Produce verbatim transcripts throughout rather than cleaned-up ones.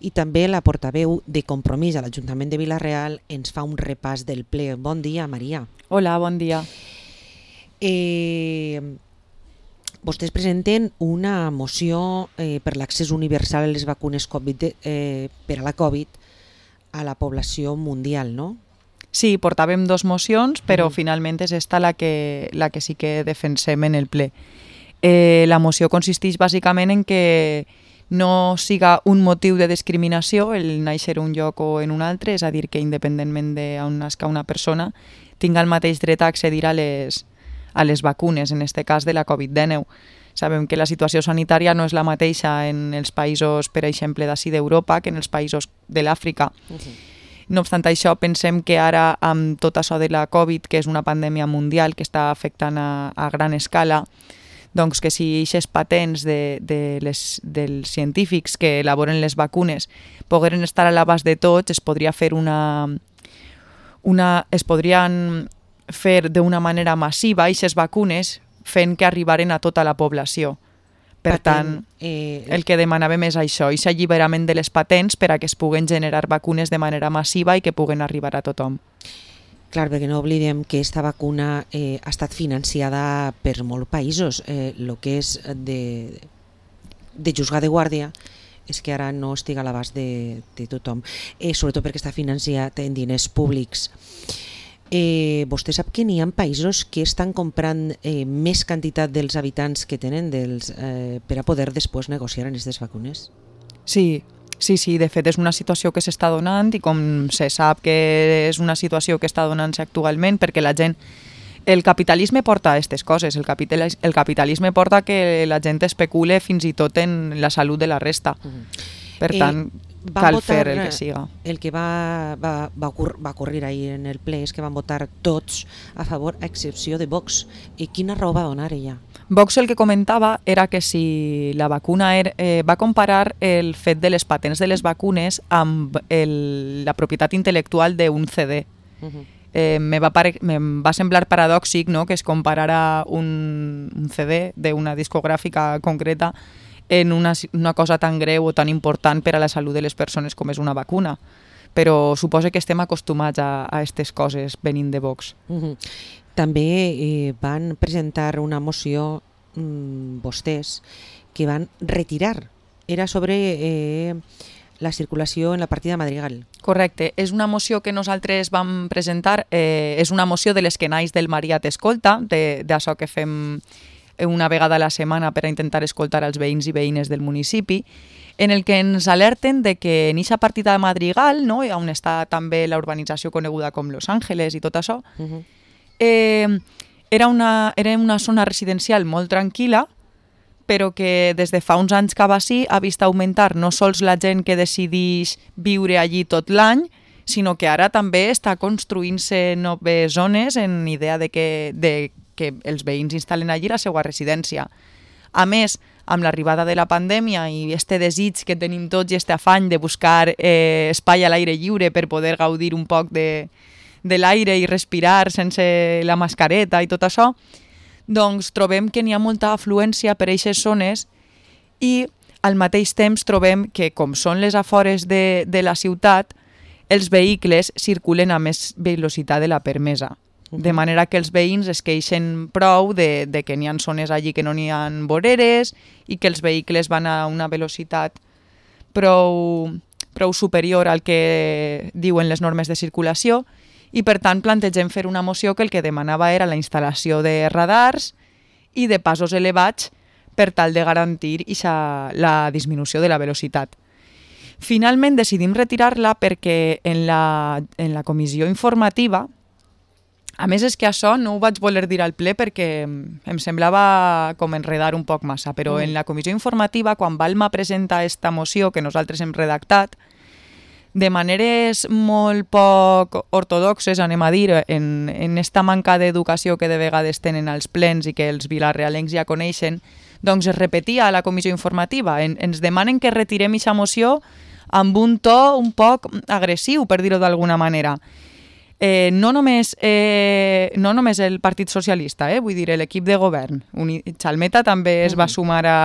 i també la portaveu de Compromís a l'Ajuntament de Vila-real ens fa un repàs del ple. Bon dia, Maria. Hola, bon dia. Eh, vostès presenten una moció eh, per l'accés universal a les vacunes COVID, eh, per a la Covid a la població mundial, no? Sí, portàvem dos mocions, però Mm. finalment és esta la que, la que sí que defensem en el ple. Eh, la moció consisteix bàsicament en que no siga un motiu de discriminació el néixer un lloc o en un altre, és a dir, que independentment d'on nasca una persona tinga el mateix dret a accedir a les, a les vacunes, en aquest cas de la covid dinou. Sabem que la situació sanitària no és la mateixa en els països, per exemple, d'ací d'Europa que en els països de l'Àfrica. Uh-huh. No obstant això, pensem que ara, amb tot això de la Covid, que és una pandèmia mundial que està afectant a, a gran escala, doncs que si aquestes patents de, de les, dels científics que elaboren les vacunes pogueren estar a l'abast de tots, es podria fer una, una es podrien fer d'una manera massiva aquestes vacunes fent que arribaren a tota la població. Per tant, eh, el que demanàvem és això, aquest alliberament de les patents per a que es puguen generar vacunes de manera massiva i que puguen arribar a tothom. Clar, perquè no oblidem que aquesta vacuna eh, ha estat financiada per molts països. Eh, el que és de, de juzgar de guàrdia és que ara no estigui a l'abast de, de tothom, eh, sobretot perquè està financiat en diners públics. Eh, vostè sap que n'hi ha països que estan comprant eh, més quantitat dels habitants que tenen dels, eh, per a poder després negociar en aquestes vacunes? Sí, sí, sí, de fet és una situació que s'està donant i com se sap que és una situació que està donant-se actualment perquè la gent... El capitalisme porta a aquestes coses, el, capital, el capitalisme porta que la gent especule fins i tot en la salut de la resta. Uh-huh. Per tant, eh, cal fer el que siga. El que va, va, va, ocurrir, va ocurrir ahir en el ple és que van votar tots a favor, a excepció de Vox. I quina raó va donar ella? Vox el que comentava era que si la vacuna era, eh, va comparar el fet de les patents de les vacunes amb el, la propietat intel·lectual d'un C D. Uh-huh. Eh, me, va pare, me va semblar paradòxic, no?, que es comparara un, un C D d'una discogràfica concreta en una, una cosa tan greu o tan important per a la salut de les persones com és una vacuna. Però suposo que estem acostumats a aquestes coses venint de Vox. Uh-huh. També eh, van presentar una moció mmm, vostès que van retirar. Era sobre eh, la circulació en la partida Madrigal. Correcte. És una moció que nosaltres vam presentar. Eh, és una moció de les que naix del Maria t'escolta, d'això que fem una vegada a la setmana per a intentar escoltar els veïns i veïnes del municipi, en el que ens alerten de que en aquesta partida de Madrigal, no?, on està també la urbanització coneguda com Los Ángeles i tot això, uh-huh. eh, era, una, era una zona residencial molt tranquil·la, però que des de fa uns anys cap així ha vist augmentar no sols la gent que decideix viure allí tot l'any, sinó que ara també està construint-se noves zones en idea de que, de que els veïns instal·len allí la seva residència. A més, amb l'arribada de la pandèmia i este desig que tenim tots i este afany de buscar eh, espai a l'aire lliure per poder gaudir un poc de, de l'aire i respirar sense la mascareta i tot això, doncs trobem que n'hi ha molta afluència per a aquestes zones i al mateix temps trobem que, com són les afores de, de la ciutat, els vehicles circulen a més velocitat de la permesa. De manera que els veïns es queixen prou de, de que n'hi ha zones allí que no n'hi ha voreres i que els vehicles van a una velocitat prou, prou superior al que diuen les normes de circulació i per tant plantegem fer una moció que el que demanava era la instal·lació de radars i de passos elevats per tal de garantir ixa, la disminució de la velocitat. Finalment decidim retirar-la perquè en la, en la comissió informativa, a més és que això no ho vaig voler dir al ple perquè em semblava com enredar un poc massa, però mm. en la comissió informativa, quan Balma presenta esta moció que nosaltres hem redactat, de maneres molt poc ortodoxes, anem a dir, en, en esta manca d'educació que de vegades tenen als plens i que els vilarrealencs ja coneixen, doncs es repetia a la comissió informativa. En, ens demanen que retirem aquesta moció amb un to un poc agressiu, per dir-ho d'alguna manera. Eh, no, només, eh, no només el Partit Socialista, eh, vull dir, l'equip de govern. Uni- Chalmeta també es va sumar a,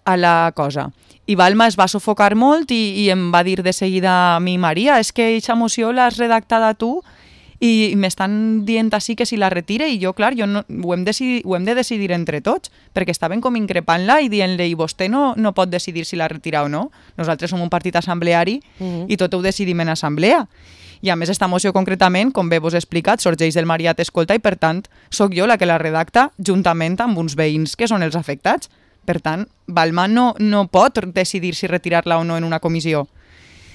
a la cosa. I Balma es va sufocar molt i, i em va dir de seguida a mi, Maria, és que aquesta moció l'has redactada tu i m'estan dient així que si la retire i jo, clar, jo no, ho, hem decidi, ho hem de decidir entre tots, perquè estaven com increpant-la i dient-li, i vostè no, no pot decidir si la retira o no. Nosaltres som un partit assembleari uh-huh. i tot ho decidim en assemblea. I a més, esta moció concretament, com bé vos he explicat, sorgeix del Mariat Escolta i, per tant, sóc jo la que la redacta juntament amb uns veïns que són els afectats. Per tant, Balma no, no pot decidir si retirar-la o no en una comissió.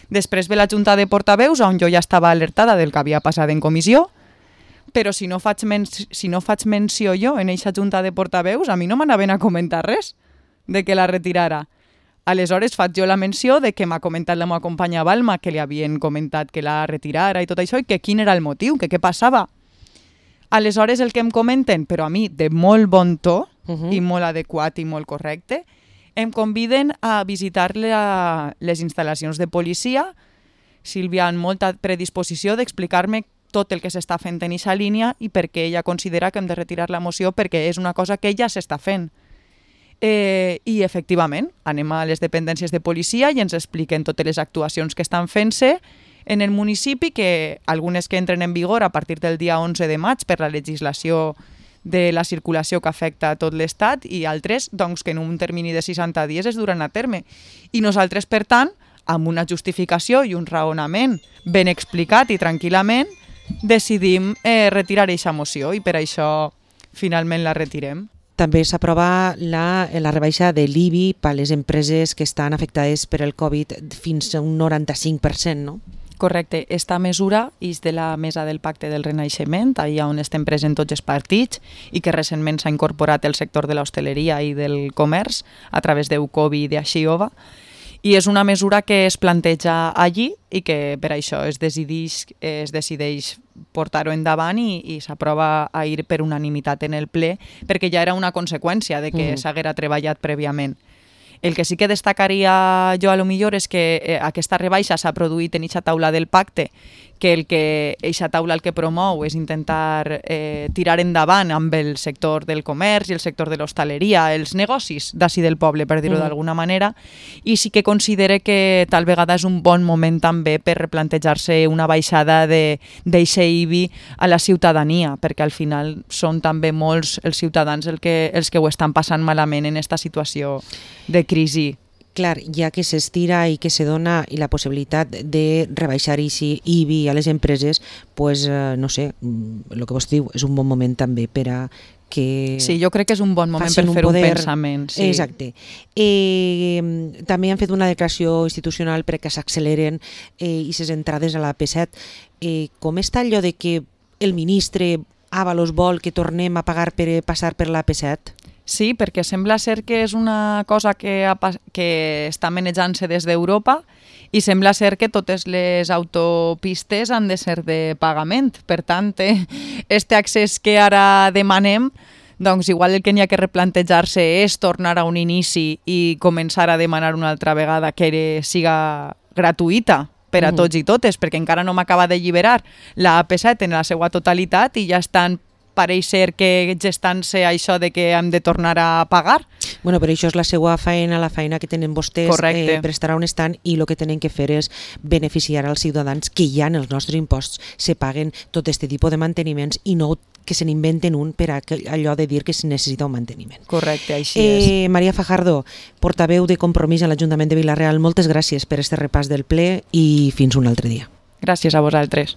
Després ve la Junta de Portaveus, on jo ja estava alertada del que havia passat en comissió, però si no faig, men si no faig menció jo en aquesta Junta de Portaveus, a mi no m'anaven a comentar res de que la retirara. Aleshores faig jo la menció de que m'ha comentat la meva companya Balma que li havien comentat que la retirara i tot això, i que quin era el motiu, que què passava. Aleshores el que em comenten, però a mi de molt bon to uh-huh. i molt adequat i molt correcte, em conviden a visitar la, les instal·lacions de policia. Sílvia, amb molta predisposició d'explicar-me tot el que s'està fent en aquesta línia i per què ella considera que hem de retirar la moció, perquè és una cosa que ja s'està fent. Eh, I, efectivament, anem a les dependències de policia i ens expliquen totes les actuacions que estan fent-se en el municipi, que algunes que entren en vigor a partir del dia onze de maig per la legislació de la circulació que afecta a tot l'Estat i altres doncs, que en un termini de seixanta dies es duran a terme. I nosaltres, per tant, amb una justificació i un raonament ben explicat i tranquil·lament, decidim eh, retirar aquesta moció i per això finalment la retirem. També s'aprova la, la rebaixa de l'I B I per a les empreses que estan afectades per el Covid fins a un noranta-cinc per cent, no? Correcte. Esta mesura és de la Mesa del Pacte del Renaixement, allà on estem presents tots els partits i que recentment s'ha incorporat el sector de l'hostaleria i del comerç a través d'Eucovi i d'Axiova. I és una mesura que es planteja allí i que per això es decideix, es decideix portar-ho endavant i, i s'aprova a ir per unanimitat en el ple, perquè ja era una conseqüència de que mm. s'haguera treballat prèviament. El que sí que destacaria jo a lo millor és que eh, aquesta rebaixa s'ha produït en aquesta taula del pacte, que el que aquesta taula el que promou és intentar eh, tirar endavant amb el sector del comerç i el sector de l'hostaleria, els negocis d'ací del poble, per dir-ho mm. d'alguna manera, i sí que considere que tal vegada és un bon moment també per replantejar-se una baixada d'eixe I B I a la ciutadania, perquè al final són també molts els ciutadans el que, els que ho estan passant malament en aquesta situació de crisi. Clar, ja que s'estira i que se dona i la possibilitat de rebaixar I B I a les empreses, pues, eh, no sé, el que vos diu, és un bon moment també per a que... Sí, jo crec que és un bon moment per fer un, poder... un pensament. Sí. Exacte. Eh, també han fet una declaració institucional perquè s'acceleren eh, i ses entrades a la P set. Eh, com està allò de que el ministre Ábalos vol que tornem a pagar per passar per la P set? Sí, perquè sembla ser que és una cosa que, ha, que està manejant-se des d'Europa i sembla ser que totes les autopistes han de ser de pagament. Per tant, este accés que ara demanem, doncs igual el que n'hi ha que replantejar-se és tornar a un inici i començar a demanar una altra vegada que siga gratuïta per a tots i totes, perquè encara no m'acaba de lliberar la A P set en la seva totalitat i ja estan pareix ser que gestant-se això de que hem de tornar a pagar. Bueno, però això és la seva feina, la feina que tenen vostès eh, per estar on estan, i el que tenen que fer és beneficiar als ciutadans que ja en els nostres imposts se paguen tot aquest tipus de manteniments i no que se n'inventen un per a allò de dir que es necessita un manteniment. Correcte, així eh, és. Maria Fajardo, portaveu de Compromís a l'Ajuntament de Vila-real, moltes gràcies per este repàs del ple i fins un altre dia. Gràcies a vosaltres.